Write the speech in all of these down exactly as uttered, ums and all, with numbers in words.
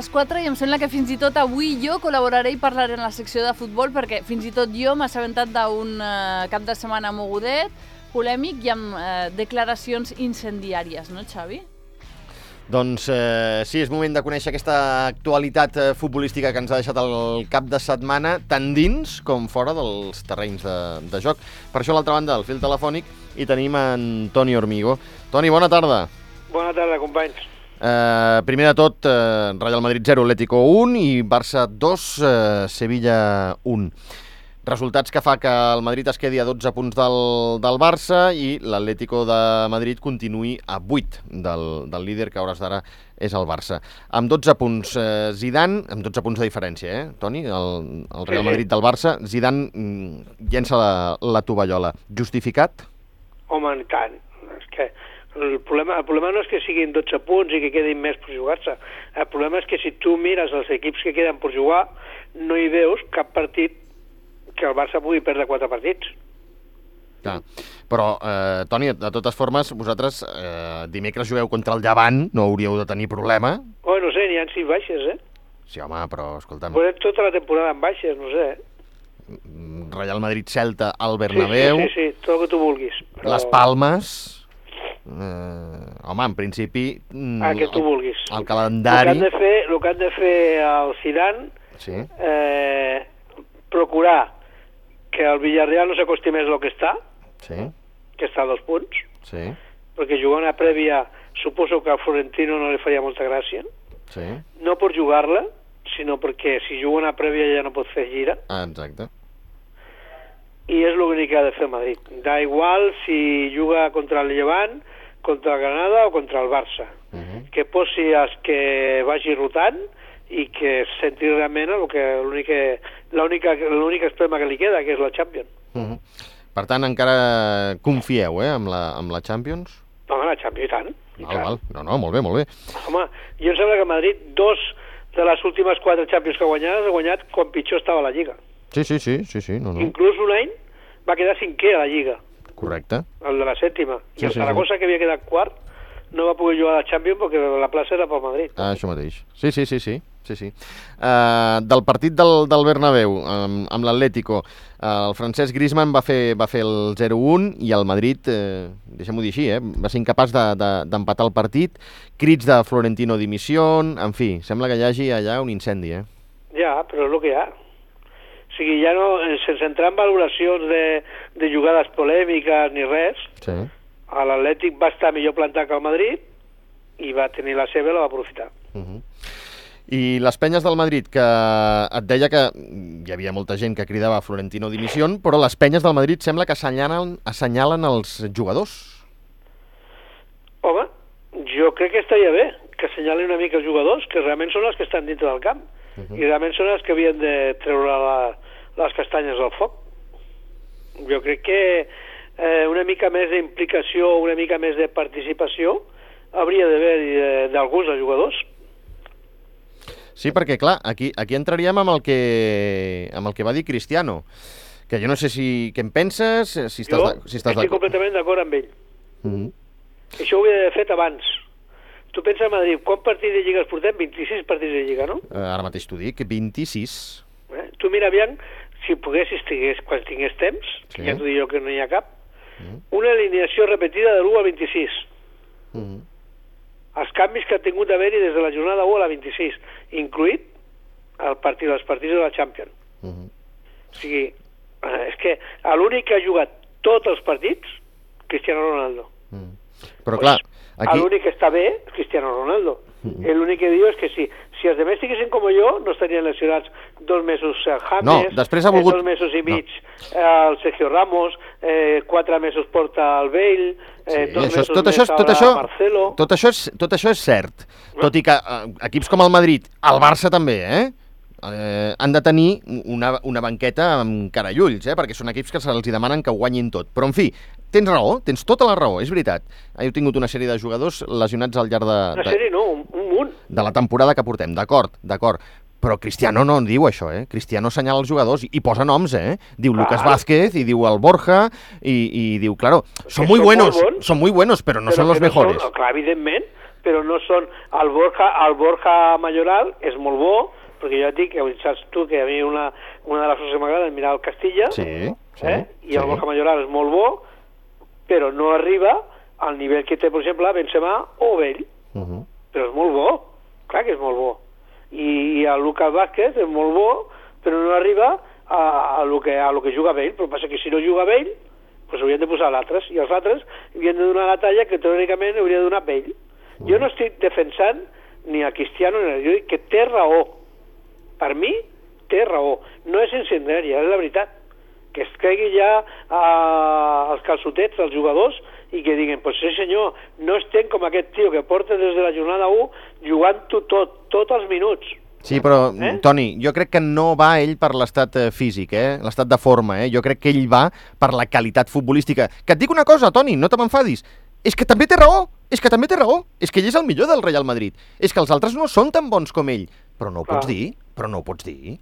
les quatre i em sembla que fins i tot avui jo col·laboraré i parlaré en la secció de futbol perquè fins i tot jo m'he assabentat d'un eh, cap de setmana mogudet, polèmic i amb eh, declaracions incendiàries, no, Xavi? Doncs eh, sí, és moment de conèixer aquesta actualitat eh, futbolística que ens ha deixat el cap de setmana, tant dins com fora dels terrenys de, de joc. Per això, a l'altra banda del fil telefònic, hi tenim en Toni Hormigo. Toni, bona tarda. Bona tarda, companys. Eh, primer de tot, eh, Real Madrid zero, Atlético un i Barça dos, eh, Sevilla un. Resultats que fa que el Madrid es quedi a dotze punts del, del Barça i l'Atlético de Madrid continuï a vuit del, del líder, que a hores d'ara és el Barça. Amb dotze punts, eh, Zidane, amb dotze punts de diferència, eh, Toni? El, el Real Madrid del Barça, Zidane mm, llença la, la tovallola. Justificat? Home, en tant. És que el problema, el problema no és que siguin dotze punts i que quedin més per jugar-se. El problema és que si tu mires els equips que queden per jugar, no hi veus cap partit que el Barça pugui perdre quatre partits. Clar. Però, eh, Toni, de totes formes, vosaltres eh, dimecres jugueu contra el Llevant, no hauríeu de tenir problema? Oh, no sé, n'hi ha sis baixes, eh? Sí, home, però, escolta'm... Podem tota la temporada amb baixes, no sé, eh? Real Madrid-Celta al Bernabéu... Sí, sí, sí, sí, tot el que tu vulguis. Però... Les Palmes... Eh, home, en principi... Ah, que tu vulguis. El calendari... El que han de fer, el que han de fer el Zidane... Sí. Eh, procurar que el Villarreal no s'acosti més del que està, sí. que està a dos punts, sí. perquè jugar una prèvia suposo que al Florentino no li faria molta gràcia, sí. no per jugar-la, sinó perquè si juga una prèvia ja no pot fer gira. Ah, exacte. I és l'únic que ha de fer Madrid. Da igual si juga contra el Llevant, contra el Granada o contra el Barça. Uh -huh. Que posi els que vagi rotant i que senti realment el que l'únic extrema que li queda, que és la Champions. Uh -huh. Per tant, encara confieu, eh, amb la, amb la Champions? Home, la Champions, i tant. I val, tant. val. No, no, molt bé, molt bé. Home, jo em sembla que Madrid, dos de les últimes quatre Champions que ha guanyat, ha guanyat quan pitjor estava la Lliga. Sí, sí, sí, sí, sí, no, no. Inclús un any va quedar cinquè a la Lliga. Correcte. El de la sèptima. Sí, I el sí, Saragossa, sí. que havia quedat quart, no va poder jugar a la Champions perquè la plaça era pel Madrid. Ah, això mateix. Sí, sí, sí, sí. sí, sí. Uh, del partit del, del Bernabéu amb, amb l'Atlético, uh, el Francesc Griezmann va fer, va fer el zero un i el Madrid, eh, deixem-ho dir així, eh, va ser incapaç d'empatar de, de, el partit, crits de Florentino dimissió, en fi, sembla que hi hagi allà un incendi, eh? Ja, però és el que hi ha. O sigui, ja no, sense entrar en valoracions de, de jugades polèmiques ni res, sí. l'Atlètic va estar millor plantat que el Madrid i va tenir la seva i la va aprofitar. Uh -huh. I les penyes del Madrid, que et deia que hi havia molta gent que cridava a Florentino dimissió, però les penyes del Madrid sembla que assenyalen, assenyalen els jugadors. Home, jo crec que estaria bé que assenyalin una mica els jugadors, que realment són els que estan dintre del camp. Uh -huh. I realment són els que havien de treure la, les castanyes al foc. Jo crec que eh, una mica més d'implicació, una mica més de participació hauria d'haver d'alguns dels jugadors. Sí, perquè, clar, aquí, aquí entraríem amb el, que, amb el que va dir Cristiano, que jo no sé si què en penses, si estàs, jo de, si estàs estic completament d'acord amb ell. Uh -huh. Això ho hauria d'haver fet abans. Tu pensa a Madrid, quants partits de Lliga es portem? vint-i-sis partits de Lliga, no? Uh, ara mateix t'ho dic, vint-i-sis. Eh? Tu mira aviam, si poguessis, tingués, quan tingués temps, sí. Ja t'ho dic jo que no hi ha cap, uh -huh. una alineació repetida de l'u al vint-i-sis. Uh -huh. Els canvis que ha tingut d'haver-hi des de la jornada u a la vint-i-sis, incluït el partit, els partits de la Champions. Uh -huh. O sigui, eh, és que l'únic que ha jugat tots els partits, Cristiano Ronaldo. Uh -huh. Però clar, aquí... L'únic que està bé és Cristiano Ronaldo. Uh -huh. L'únic que diu és que si, si els demés estiguessin com jo, no estarien lesionats dos mesos el James, no, després ha volgut... dos mesos i mig no. el Sergio Ramos, eh, quatre mesos porta el Bale, eh, sí, dos això, mesos tot més això, tot això, Marcelo... Tot això, és, tot això és cert, no? Tot i que eh, equips com el Madrid, el Barça també, eh? Eh, han de tenir una, una banqueta amb cara i ulls, eh? Perquè són equips que se'ls demanen que ho guanyin tot. Però, en fi, tens raó, tens tota la raó, és veritat. Heu tingut una sèrie de jugadors lesionats al llarg de... Una sèrie no, un, un munt. De la temporada que portem, d'acord, d'acord. Però Cristiano no en diu això, eh? Cristiano assenyala els jugadors i, i posa noms, eh? Diu clar. Lucas Vázquez i diu el Borja i, i diu, claro, són muy buenos, són muy buenos, però no però són los mejores. Són, clar, evidentment, però no són... El Borja, el Borja Mayoral és molt bo, perquè jo et dic, saps tu, que a mi una, una de les coses que m'agrada és mirar el Castilla, sí, sí, eh? i el sí. Borja Mayoral és molt bo, però no arriba al nivell que té, per exemple, Benzema o Bale. Uh -huh. Però és molt bo, clar que és molt bo. I, i el Lucas Vázquez és molt bo, però no arriba a, a, lo que, a lo que juga Bale. Però passa que si no juga Bale, pues haurien de posar l'altres, i els altres havien de donar la talla que teòricament hauria de donar Bale. Uh -huh. Jo no estic defensant ni a Cristiano ni a... Jo dic que té raó. Per mi, té raó. No és incendiària, és la veritat. Que es caigui ja eh, els calçotets dels jugadors i que diguin, pues sí senyor, no estem com aquest tio que porta des de la jornada u jugant-ho tot, tots els minuts. Sí, però, eh? Toni, jo crec que no va ell per l'estat físic, eh? l'estat de forma. Eh? Jo crec que ell va per la qualitat futbolística. Que et dic una cosa, Toni, no te m'enfadis. És que també té raó, és que també té raó. És que ell és el millor del Real Madrid. És que els altres no són tan bons com ell. Però no ho pots dir, però no ho pots dir.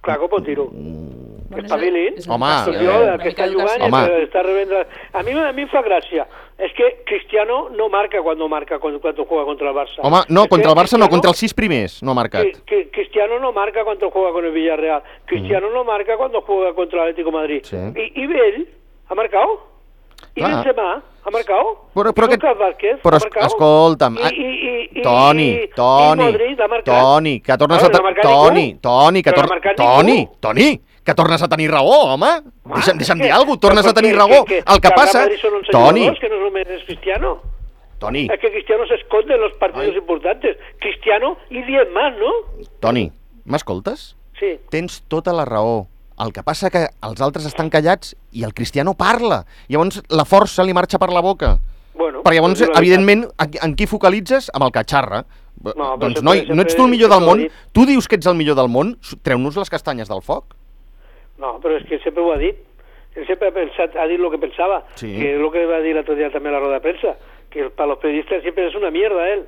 Clar que ho pot dir-ho. Mm. Que espavilin. Home, eh, el que està jugant i que està rebent... A mi, a mi em fa gràcia. És que Cristiano no marca quan no marca quan, quan juega contra el Barça. Home, no, es contra el Barça Cristiano, no, contra els sis primers no ha marcat. Que, que Cristiano no marca quan juega con el Villarreal. Cristiano mm. no marca quan juega contra el Atlético de Madrid. Sí. I, I Bale ha marcat. I ah. Benzema ha marcat. Però, però, que, Vázquez, però es, escolta'm, I, i, i, Toni, i, Toni, i Modric ha marcat. Toni, que tornes a... No Toni, Toni, que tornes... No Toni, Toni, que tornes a tenir raó, home. Ah, deixa'm, deixa'm dir alguna cosa, tornes a tenir raó. Que, que, el que, que passa... Toni. Que no només és Cristiano. Toni. Es que Cristiano se esconde en los partidos Ai. importantes. Cristiano y diez más, ¿no? Toni, m'escoltes? Sí. Tens tota la raó. El que passa que els altres estan callats i el Cristiano parla. Llavors la força li marxa per la boca. Bueno, perquè llavors, evidentment, en qui focalitzes? Amb el que xarra. No, doncs, noi, no ets tu el millor del món? Tu dius que ets el millor del món? Treu-nos les castanyes del foc. No, però és que sempre ho ha dit. Ell sempre ha, pensat, ha dit el que pensava. Sí. Que és el que va dir l'altre dia també a la roda de premsa. Que per als periodistes sempre és una mierda, ell.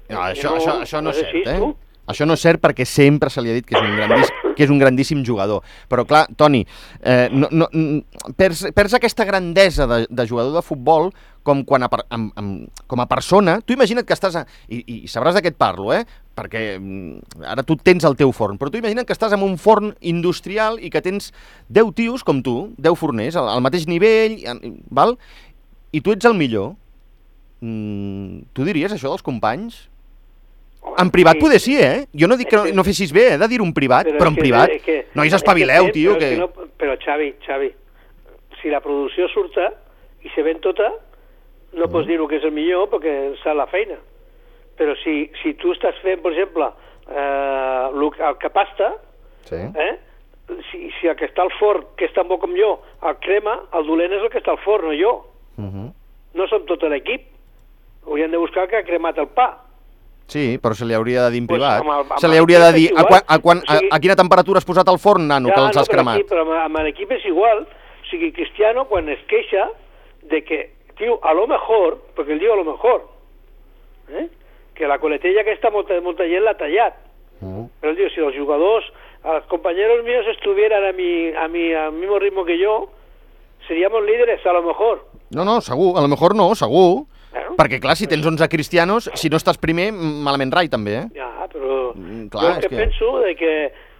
No, això, no, això, això no és cert, eh? Tu? Això no és cert perquè sempre se li ha dit que és un grandíssim, que és un grandíssim jugador. Però clar, Toni, eh, no, no, perds, perds aquesta grandesa de, de jugador de futbol com, quan a, amb, amb, com a persona. Tu imagina't que estàs... A, i, I sabràs de què et parlo, eh? Perquè ara tu tens el teu forn, però tu imagina't que estàs en un forn industrial i que tens deu tios com tu, deu forners, al, al mateix nivell, val? I tu ets el millor. Mm, tu diries això dels companys? En privat sí. Poder sí, eh? Jo no dic que no, no fessis bé, eh, de dir un privat, però, però en privat... Que, que, nois, espavileu, tio, però que... que no, però, Xavi, Xavi, si la producció surta i se ven tota, no mm. pots dir que és el millor perquè sap la feina. Però si, si tu estàs fent, per exemple, eh, el que pasta, sí. eh? si, si el que està al forn, que és tan bo com jo, el crema, el dolent és el que està al forn, no jo. Mm -hmm. No som tot l'equip. Haurien de buscar el que ha cremat el pa. Sí, però se li hauria de dir en privat. Pues amb el, amb se li hauria de dir a, quan, a, quan, a, a quina temperatura has posat el forn, nano, ja, que els no, has cremat. Sí, però amb, amb l'equip és igual. O sigui, Cristiano, quan es queixa de que, tio, a lo mejor, perquè ell diu a lo mejor, eh? que la coletella aquesta molta, molta gent l'ha tallat. Uh. Però ell diu, si els jugadors, els compañeros míos estuvieran a mi, a mi, al mismo ritmo que yo, seríamos líderes, a lo mejor. No, no, segur, a lo mejor no, segur. Bueno, perquè, clar, si tens onze cristianos, si no estàs primer, malament rai, també, eh? Ja, però mm, clar, jo que, que penso de que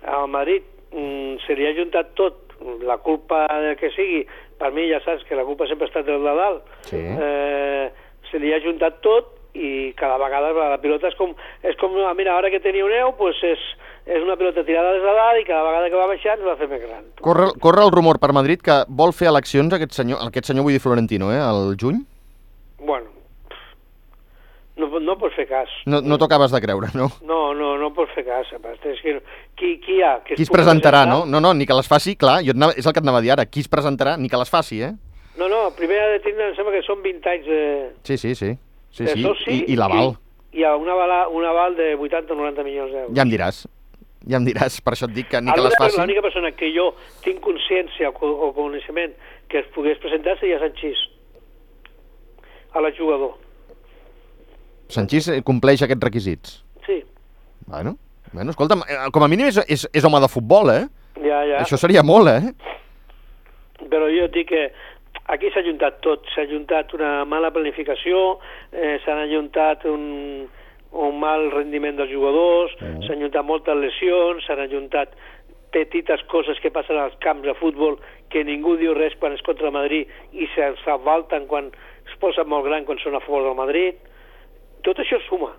al Madrid mm, se li ha juntat tot, la culpa del que sigui, per mi ja saps que la culpa sempre ha estat del de dalt, sí. eh, se li ha juntat tot i cada vegada la pilota és com, és com mira, ara que teniu neu, pues és, és una pilota tirada des de dalt i cada vegada que va baixant es va fer més gran. Corre, corre el rumor per Madrid que vol fer eleccions aquest senyor, aquest senyor vull dir Florentino, eh, al juny? Bueno, no, no pots fer cas. No, no t'ho acabes de creure, no? No, no, no pots fer cas. És que, qui, qui hi ha? Que qui es presentarà, presentar? no? No, no, ni que les faci, clar, jo anava, és el que et anava a dir ara, qui es presentarà, ni que les faci, eh? No, no, primer ha de tindre, em sembla que són vint anys de... Sí, sí, sí, sí, de sí. soci I, i l'aval. I, i un aval, un aval de vuitanta o noranta milions d'euros. Ja em diràs, ja em diràs, per això et dic que ni que les faci. L'única persona que jo tinc consciència o, o coneixement que es pogués presentar seria Sanchís, a la jugador. Sanchís compleix aquests requisits? Sí. Bueno, bueno, escolta'm, com a mínim és, és, és home de futbol, eh? Ja, ja. Això seria molt, eh? Però jo dic que aquí s'ha juntat tot, s'ha juntat una mala planificació, eh, s'han ajuntat un, un mal rendiment dels jugadors, mm. s'han juntat moltes lesions, s'han ajuntat petites coses que passen als camps de futbol que ningú diu res quan és contra el Madrid i s'avalten quan es posen molt gran quan són a favor del Madrid. Tot això suma.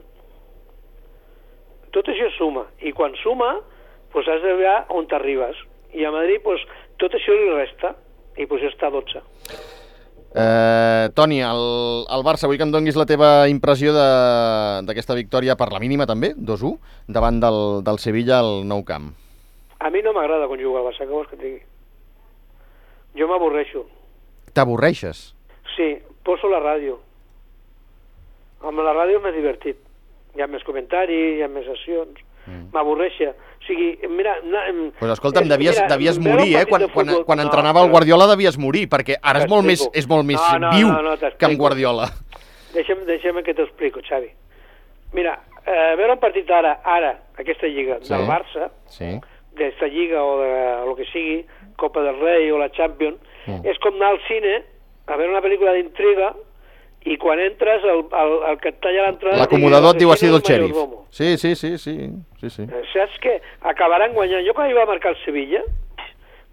Tot això suma. I quan suma, doncs has de veure on t'arribes. I a Madrid, doncs, tot això li resta. I doncs ja està a dotze. Eh, Toni, el, el Barça, vull que em donguis la teva impressió d'aquesta victòria per la mínima també, dos a u, davant del, del Sevilla al Nou Camp. A mi no m'agrada quan juga al Barça, què vols que et digui? Jo m'avorreixo. T'avorreixes? Sí, poso la ràdio. Amb la ràdio és més divertit. Hi ha més comentaris, hi ha més sessions. Mm. M'avorreixa. O sigui, mira... Doncs pues escolta'm, devies, mira, devies morir, eh? Quan, quan, quan entrenava no, el Guardiola devies morir, perquè ara és molt més, és molt més no, no, viu no, no, que amb Guardiola. Deixa'm, deixa'm que t'ho explico, Xavi. Mira, eh, veure un partit ara, ara, aquesta lliga, sí, del Barça, sí, d'esta lliga o de lo que sigui, Copa del Rei o la Champions, mm. és com anar al cine a veure una pel·lícula d'intriga i quan entres el, el, el que et talla l'entrada... L'acomodador et diu ha sido el xèrif. Sí, sí, sí, sí, sí, sí. Saps que acabaran guanyant? Jo quan hi va marcar el Sevilla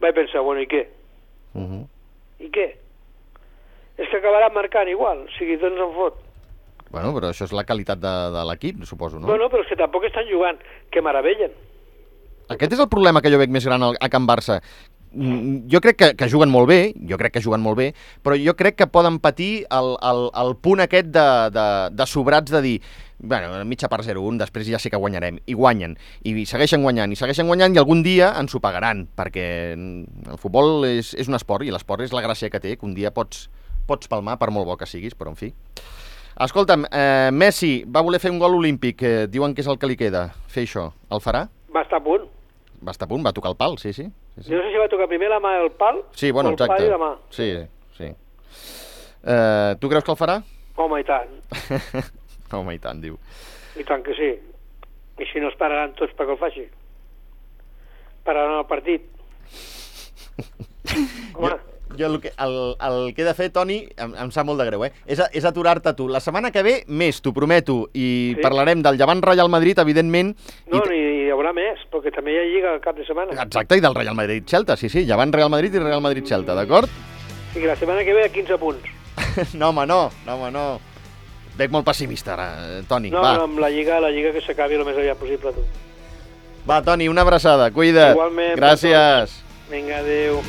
vaig pensar, bueno, i què? Uh -huh. I què? És que acabaran marcant igual, o sigui, doncs en fot. Bueno, però això és la qualitat de, de l'equip, suposo, no? Bueno, però és que tampoc estan jugant, que meravellen. Aquest és el problema que jo veig més gran a Can Barça. Jo crec que, que juguen molt bé, jo crec que juguen molt bé, però jo crec que poden patir el, el, el punt aquest de, de, de sobrats de dir, bueno, mitja part zero a un, després ja sé que guanyarem, i guanyen, i segueixen guanyant, i segueixen guanyant, i algun dia ens ho pagaran, perquè el futbol és, és un esport, i l'esport és la gràcia que té, que un dia pots, pots palmar, per molt bo que siguis, però en fi. Escolta'm, eh, Messi va voler fer un gol olímpic, eh, diuen que és el que li queda, fer això, el farà? Va estar a punt. Va estar a punt, va tocar el pal, sí, sí. sí, sí. Jo no sé si va tocar primer la mà del pal sí, bueno, o el exacte. pal i la mà. Sí, sí. Eh, tu creus que el farà? Home, i tant. Home, i tant, diu. I tant que sí. I si no es pararan tots perquè el faci. Pararan el partit. Home... Jo el que, el, el que he de fer, Toni, em, em sap molt de greu, eh? És, és aturar-te tu. La setmana que ve, més, t'ho prometo, i sí, parlarem del Llevant Real Madrid, evidentment. No, i hi haurà més, perquè també hi ha lliga al cap de setmana. Exacte, i del Real Madrid-Celta, sí, sí, Llevant Real Madrid i Real Madrid-Celta, d'acord? Sí, que la setmana que ve a quinze punts. No, home, no, no, home, no. Veig molt pessimista ara, Toni, no, va. No, amb la lliga, la lliga que s'acabi el més aviat possible, tu. Va, Toni, una abraçada, cuida't. Igualment. Gràcies. Vinga, adéu.